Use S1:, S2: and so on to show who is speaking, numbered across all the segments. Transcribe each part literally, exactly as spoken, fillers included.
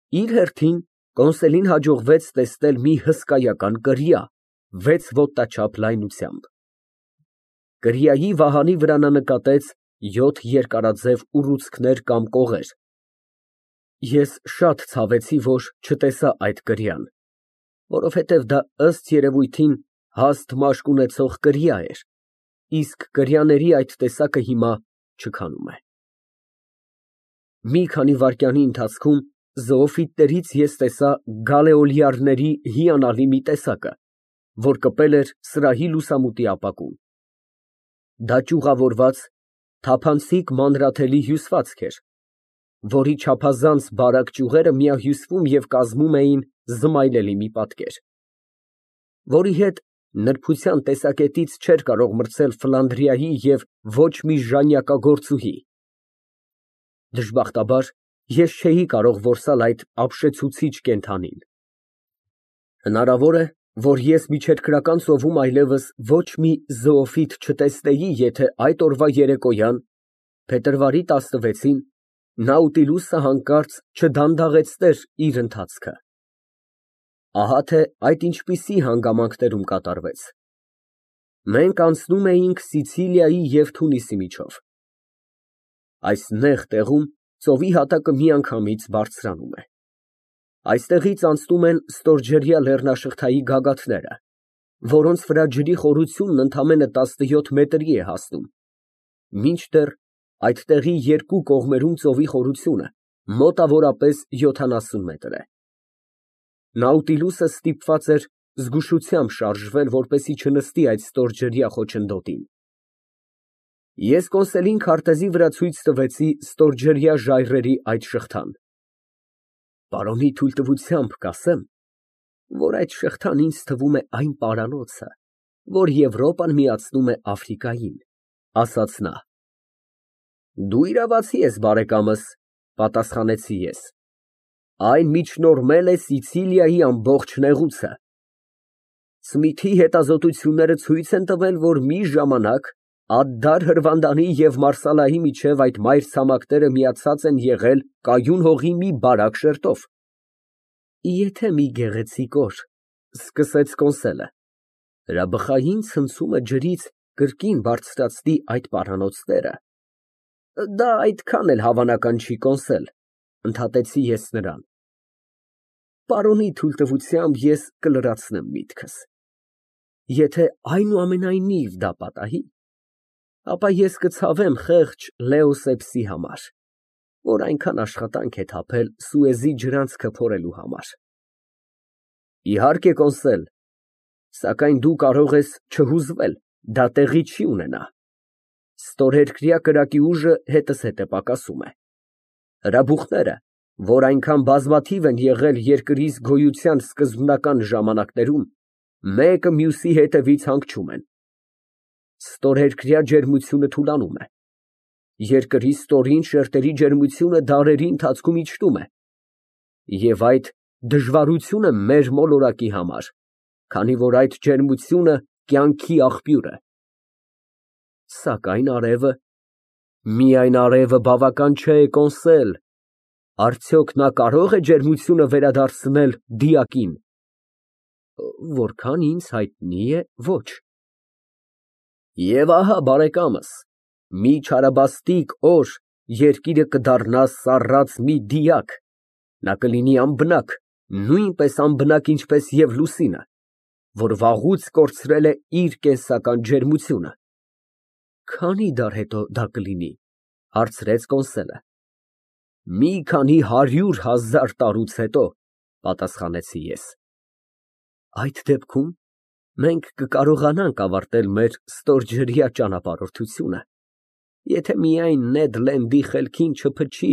S1: Իր հերթին, Կոնսելին հաջողվեց տեսնել մի հսկայական կրիա վեց ոտնաչափ լայնությամբ։ Կրիայի վահանի վրա նա նկատեց յոթ երկարաձև ուռուցքներ կամ կողեր։ Ես շատ ցավեցի, որ չտեսա այդ կրիան, որովհետև դա ըստ երևույթին հաստ մաշկ ունեցող կրիա էր, իսկ կրիաների այդ տեսակը հիմա չքանում է։ Մի քանի վայրկյանի ընթացքում զոոֆիտներից ես տեսա գալեոլյարների հիանալի մի տեսակը, որ կպել էր սրահի լուսամուտի ապակուն։ Դա ճյուղավորված, թափանցիկ մանրաթելի հյուսվածք էր, որի չափազանց բարակ ճյուղերը միահյուսվում և կազմում էին զմայլելի մի պատկեր, որի հետ նրբության տեսակետից չէր կարող մրցել Ֆլանդրիայի և ոչ մի ժանյակագործուհի։ Դժբախտաբար, ես չէի կարող որսալ այդ ապշեցուցիչ կենդանին։ Հնարավոր է, որ ես միջերկրական ծովում այլևս ոչ մի զոոֆիտ չտեսնեի, եթե այդ օրվա երեկոյան, փետրվարի տասնվեցին, Նաուտիլուսը հանկարծ չդանդաղեցներ իր ընթացքը։ Ահա թե այդ ինչպիսի հանգամանքներում կատարվեց։ Մենք անցնում էինք Սիցիլիայի և Թունիսի միջով։ Այս նեղ տեղում ծովի հատակը միանգամից բարձրանում է։ Այստեղից անցնում են ստորջրյա լեռնաշղթայի գագաթները, որոնց վրա ջրի խորությունն ընդամենը տասնյոթ մետրի է հասնում, մինչդեռ այդտեղի երկու կողմերում ծովի խորությունը մոտավորապես յոթանասուն մետր է։ Նաուտիլուսը ստիպված էր զգուշությամբ շարժվել, որպեսզի չնստի այդ ստորջրյա խոչընդոտին։ Ես Կոնսելին քարտեզի վրա ցույց տվեցի ստորջրյա ժայռերի այդ շղթան։ Պարոնի թույլտվությամբ կասեմ, որ այդ շղթան ինձ թվում է այն պարանոցը, որ Եվրոպան միացնում է Աֆրիկային, ասաց նա։ Դու իրավացի ես, բարեկամս, պատասխանեցի ես, այն միջնորդվել է Սիցիլիայի ամբողջ նեղուցը։ Սմիթի հետազոտությունները ցույց են տվել, որ մի ժամանակ Ադդար Հրվանդանի և Մարսալայի միջև այդ մայրցամաքները միացած են եղել կայուն հողի մի բարակ շերտով։ Եթե մի գեղեցիկ օր, սկսեց Կոնսելը, հրաբխային ցնցումը ջրից կրկին բարձրացնի այդ պարանոցները, դա այդքան էլ հավանական չի, Կոնսել, ընդհատեցի ես նրան։ Պարոնի թույլտվությամբ ես կլրացնեմ միտքս։ Եթե այնուամենայնիվ դա պատահի, ապա ես կցավեմ խեղճ Լեոսեպսի համար, որ այնքան աշխատանք է թափել Սուեզի ջրանցքը փորելու համար։ Իհարկե, Կոնսել, սակայն դու կարող ես չհուզվել, դա տեղի չի ունենա։ Ստորերկրյա կրակի ուժը հետզհետե է պակասում է։ Հրաբուխները, որ այնքան բազմաթիվ են եղել երկրիս գոյության սկզբնական ժամանակներում, մեկը մյուսի հետևից հանգչում են։ Ստորերկրյա ջերմությունը թուլանում է։ Երկրի ստորին շերտերի ջերմությունը դարերի ընթացքում իջնում է։ Եվ այդ դժվարությունը մեր մոլորակի համար, քանի որ այդ ջերմությունը կյանքի աղբյուր է։ Սակայն արևը, միայն արևը բավական չէ, Կոնսել, արդյոք նա կարո՞ղ է ջերմությունը վերադարձնել դիակին։ Որքան ինձ հայտնի է, ոչ։ Եվ ահա, բարեկամս, մի չարաբաստիկ օր երկիրը կդառնա սառած մի դիակ, նա կլինի անբնակ, նույնպես անբնակ, ինչպես և լուսինը, որ վաղուց կորցրել է իր կենսական ջերմությունը։ Քանի դար հետո դա կլինի, հարցրեց Կոնսելը։ Մի քանի հարյուր հազար տարուց հետո, պատասխանեցի ես։ Այդ դեպքում մենք կկարողանանք ավարտել մեր ստորջրյա ճանապարհորդությունը, եթե միայն Նեդ Լենդի խելքին չփչի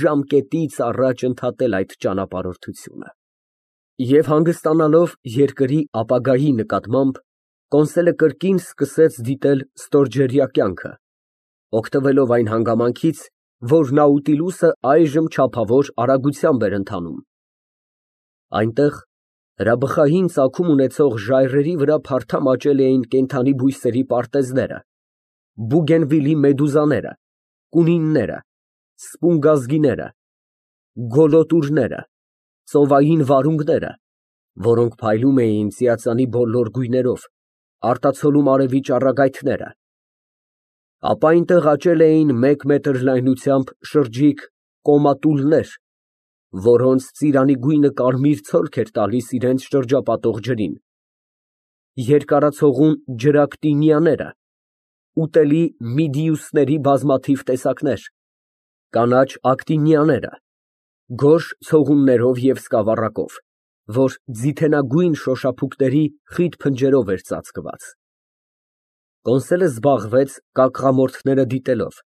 S1: ժամկետից առաջ ընդհատել այդ ճանապարհորդությունը։ Եվ հանգստանալով երկրի ապագայի նկատմամբ, Կոնսելը կրկին սկսեց դիտել ստորջրյա կյանքը, օգտվելով այն հանգամանքից, որ Նաուտիլուսը այժմ չափավոր արագությամբ էր ընթանում։ Այնտեղ հրաբխային ծագում ունեցող ժայռերի վրա փարթամ աճել էին կենդանի բույսերի պարտեզները, Բուգենվիլի մեդուզաները, կունինները, սպունգազգիները, գոլոտուրները, ծովային վարունգները, որոնք փայլում էին ծիածանի բոլոր գույներով, արտացոլում արևի ճառագայթները, ապա այնտեղ աճել էին մեկ մետր լայնությամբ շրջիկ կոմատուլներ, որոնց ծիրանի գույնը կարմիր ցորք էր տալիս իրենց շրջապատող ջրին, երկարացողուն ջրակտինիաները, ուտելի միդիուսների բազմաթիվ տեսակներ, կանաչ ակտինիաները, գորշ ցողուններով և սկավառակով, որ ձիթենագույն շոշափուկների խիտ փնջերով էր ծածկված։ Կոնսոլը զբաղվեց կակղամորթները դիտելով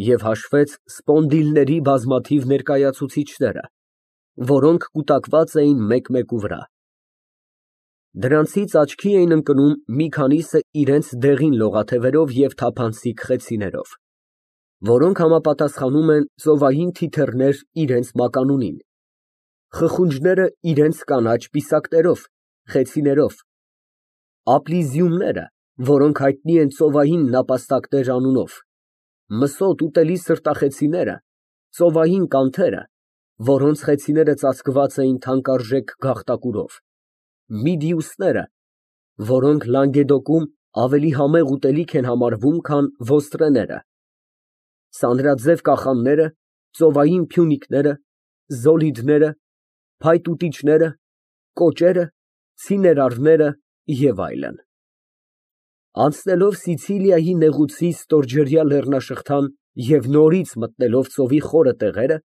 S1: և հաշվեց սպոնդիլների բազմաթիվ ներկայացուցիչները, որոնք կուտակված էին մեկ֊մեկու վրա։ Դրանցից աչքի էին ընկնում մի քանիսը իրենց դեղին լողաթևերով և թափանցիկ խեցիներով, որոնք համապատասխանում են ծովային թիթեռներ իրենց մականունին, խխունջները իրենց կանաչ պիսակներով, խեցիներով, ապլիզիումները, որոնք հայտնի են ծովային նապաստակներ անունով, մսոտ ուտելի սրտախեցիները, ծովային կանթերը, որոնց խեցիները ծածկված էին թանկարժեք գաղտակուրով, միդիուսները, որոնք Լանգեդոկում ավելի համեղ ուտելիք են համարվում, քան ոստրեները, սանրաձև կախանները, ծովային փյունիկները, զոլիդները, փայտուտիչները, կոճերը, ցիներարները և այլն։ Անցնելով Սիցիլիայի նեղուցի ստորջրյա լեռնաշղթան և նորից մտնելով ծովի խորը տեղերը,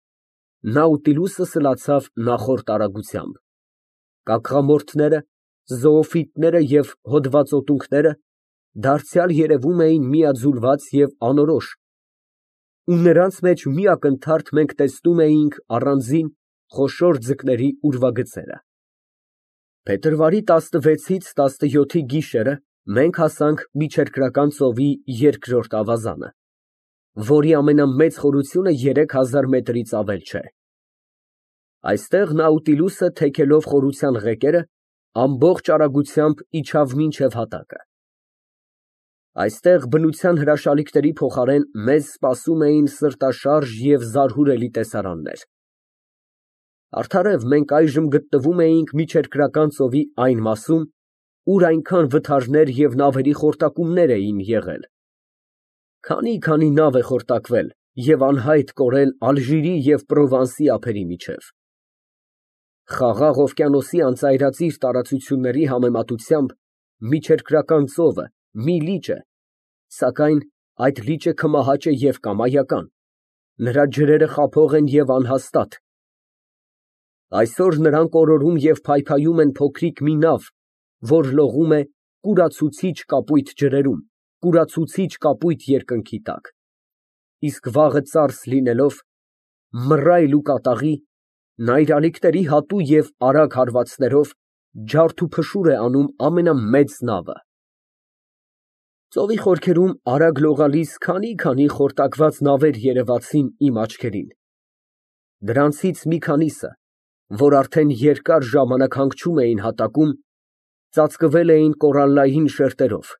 S1: Նաուտիլուսը սլացավ նախորդ արագությամբ։ Կակղամորթները, զոոֆիտները և հոդվածոտունքները դարձյալ երևում էին միաձուլված և անորոշ, ու նրանց մեջ մի ակնթարթ մենք տեսնում էինք առանձին խոշոր ձկների ուրվագծերը։ Փետրվարի տասնվեցից տասնյոթի գիշերը մենք հասանք Միջերկրական ծովի երկրորդ ավազանը, որի ամենամեծ խորությունը երեք հազար մետրից ավել չէ։ Այստեղ Նաուտիլուսը, թեքելով խորության ղեկերը, ամբողջ արագությամբ իջավ մինչև հատակը։ Այստեղ բնության հրաշալիքների փոխարեն մեզ սպասում էին սրտաշարժ և զարհուրելի տեսարաններ։ Արդարև մենք այժմ գտնվում էինք Միջերկրական ծովի այն մասում, ուր այնքան վթարներ և նավերի խորտակումներ էին եղել։ Քանի՜֊քանի՜ նավ է խորտակվել և անհայտ կորել Ալժիրի և Պրովանսի ափերի միջև։ Խաղաղ օվկիանոսի անծայրածիր տարածությունների համեմատությամբ Միջերկրական ծովը մի լիճ է, սակայն այդ լիճը քմահաճ է և կամայական, նրա ջրերը խափող են և անհաստատ։ Այսօր նրանք օրորում և փայփայում են փոքրիկ մի նավ, որ լողում է կուրացուցիչ կապույտ ջրերում, կուրացուցիչ կապույտ երկնքի տակ, իսկ վաղը ծարս լինելով, մռայլ ու կատաղի, նա իր ալիքների հատու և արագ հարվածներով ջարդուփշուր է անում ամենամեծ նավը։ Ծովի խորքերում արագ լողալիս քանի՜֊քանի խորտակված նավեր երևացին իմ աչքերին։ Դրանցից մի քանիսը, որ արդեն երկար ժամանակ հանգչում էին հատակում, ծածկվել էին կորալլային շերտերով,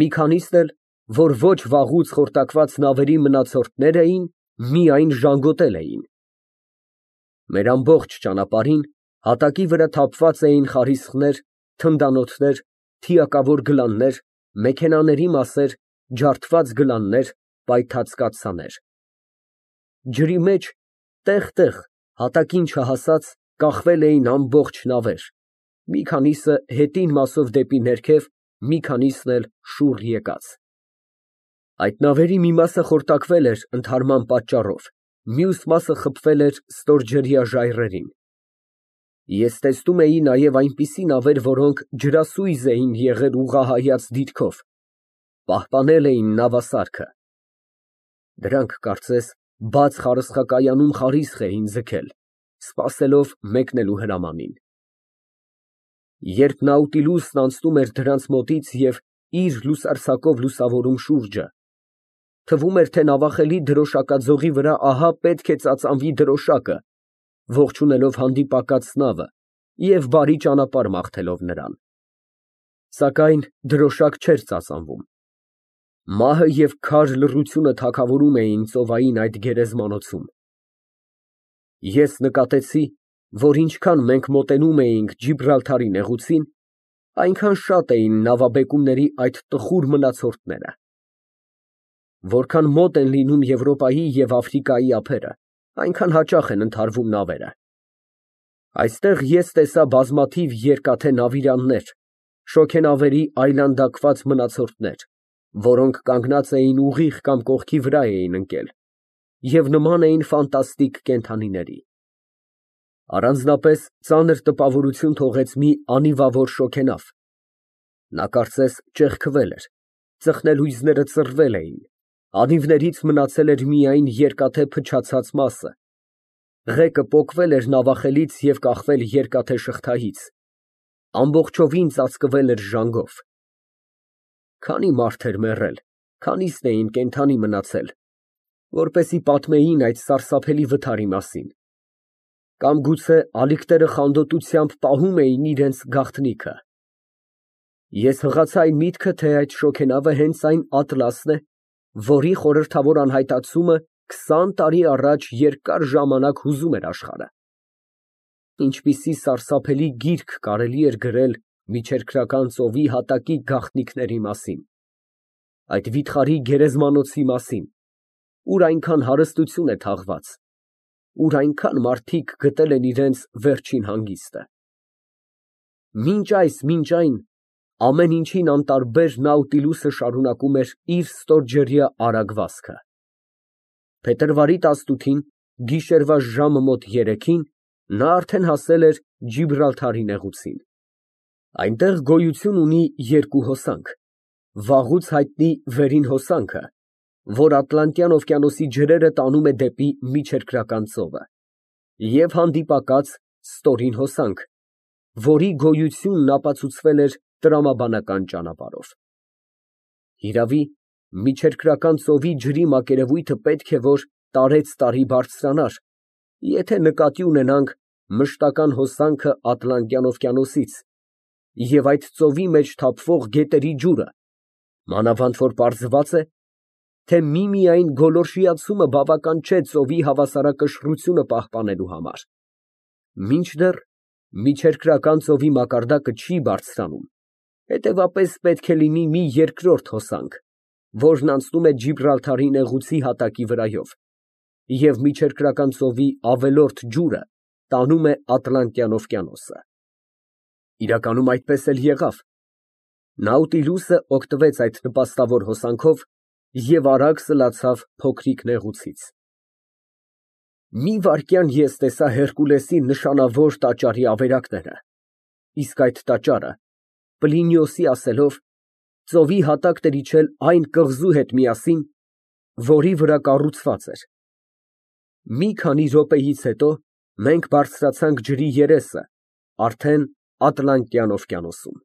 S1: մի քանիսն էլ, որ ոչ վաղուց խորտակված նավերի մնացորդներ էին, միայն ժանգոտել էին։ Մեր ամբողջ ճանապարհին հատակի վրա թափված էին խարիսխներ, թնդանոթներ, թիակավոր գլաններ, մեքենաների մասեր, ջարդված գլաններ, պայթած կաթսաներ։ Ջրի մեջ տեղ֊տեղ, հատակին չհասած, կախվել էին ամբողջ նավեր, մի քանիսը հետին մասով դեպի ներքև, մի քանիսն էլ շուռ եկած։ Այդ նավերի մի մասը խորտակվել էր ընդհարման պատճառով, մյուս մասը խփվել էր ստորջրյա ժայռերին։ Ես տեսնում էի նաև այնպիսի նավեր, որոնք ջրասույզ էին եղել ուղղահայաց դիրքով, պահպանել էին նավասարքը։ Դրանք, կարծես, բաց խարսխակայանում խարիսխ էին ձգել, սպասելով մեկնելու հրամանին։ Երբ Նաուտիլուսն անցնում էր դրանց մոտից և իր լուսարձակով լուսավորում շուրջը, թվում էր, թե նավախելի դրոշակաձողի վրա ահա պետք է ծածանվի դրոշակը, ողջունելով հանդիպակաց նավը և բարի ճանապարհ մաղթելով նրան։ Սակայն դրոշակ չէր ծածանվում։ Մահը և քար լռությունը թագավորում էին ծովային այդ գերեզմանոցում։ Ես նկատեցի, որ ինչքան մենք մոտենում էինք Ջիբրալթարի նեղուցին, այնքան շատ էին նավաբեկումների այդ տխուր մնացորդները։ Որքան մոտ են լինում Եվրոպայի և Աֆրիկայի ափերը, այնքան հաճախ են ընդհարվում նավերը։ Այստեղ ես տեսա բազմաթիվ երկաթե նավիրաններ, շոգենավերի այլանդակված մնացորդներ, որոնք կանգնած էին ուղիղ կամ կողքի վրա էին ընկել և նման էին ֆանտաստիկ կենդանիների։ Առանձնապես ծանր տպավորություն թողեց մի անիվավոր շոգենավ։ Նա կարծես ճեղքվել էր, ծխնելույզները ծռվել էին, անիվներից մնացել էր միայն երկաթե փչացած մասը, ղեկը պոկվել էր նավախելից և կախվել երկաթե շղթայից, ամբողջովին ծածկվել էր ժանգով։ Քանի մարդ էր մեռել, քանիսն էին կենդանի մնացել, որպեսզի պատմեին այդ սարսափելի վթարի մասին, կամ գուցե ալիքները խանդոտությամբ պահում էին իրենց գաղտնիքը։ Ես հղացա այն միտքը, թե այդ շոգենավը հենց այն Ատլասն է, որի խորհրդավոր անհայտացումը քսան տարի առաջ երկար ժամանակ հուզում էր աշխարհը։ Ինչպիսի սարսափելի գիրք կարելի էր գրել Միջերկրական ծովի հատակի գաղտնիքների մասին, այդ վիթխարի գերեզմանոցի մասին, ուր այնքան հարստություն է թաղված, ուր այնքան մարդիկ գտել են իրենց վերջին հանգիստը։ Մինչ այս, մինչ այն, ամեն ինչին անտարբեր Նաուտիլուսը շարունակում էր իր ստորջրյա արագ վազքը։ Փետրվարի տասնութին, գիշերվա ժամը մոտ երեքին նա արդեն հասել էր Ջիբրալթարի նեղուցին։ Այնտեղ գոյություն ունի երկու հոսանք, վաղուց հայտնի վերին հոսանքը, որ Ատլանտյան օվկիանոսի ջրերը տանում է դեպի Միջերկրական ծովը, և հանդիպակաց ստորին հոսանք, որի գոյությունն ապացուցվել էր տրամաբանական ճանապարհով։ Իրավի, Միջերկրական ծովի ջրի մակերևույթը պետք է որ տարեցտարի բարձրանար, եթե նկատի ունենանք մշտական հոսանքը Ատլանտյան օվկիանոսից և այդ ծովի մեջ թափվող գետերի ջուրը, մանավանդ որ պարզված է, թե միմիայն գոլորշիացումը բավական չէ ծովի հավասարակշռությունը պահպանելու համար, մինչդեռ Միջերկրական ծովի մակարդակը չի բարձրանում, հետևաբար պետք է լինի մի երկրորդ հոսանք, որն անցնում է Ջիբրալթարի նեղուցի հատակի վրայով և Միջերկրական ծովի ավելորդ ջուրը տանում է Ատլանտյան օվկիանոսը։ Իրականում այդպես էլ եղավ։ Նաուտիլուսը օգտվեց այդ նպաստավոր հոսանքով և արագ սլացավ փոքրիկ նեղուցից։ Մի վայրկյան ես տեսա Հերկուլեսի նշանավոր տաճարի ավերակները, իսկ այդ տաճարը, Պլինիոսի ասելով, ծովի հատակն էր իջել այն կղզու հետ միասին, որի վրա կառուցված էր։ Մի քանի րոպեից հետո մենք բարձրացանք ջրի երեսը, արդեն Ատլանտյան օվկիանոսում։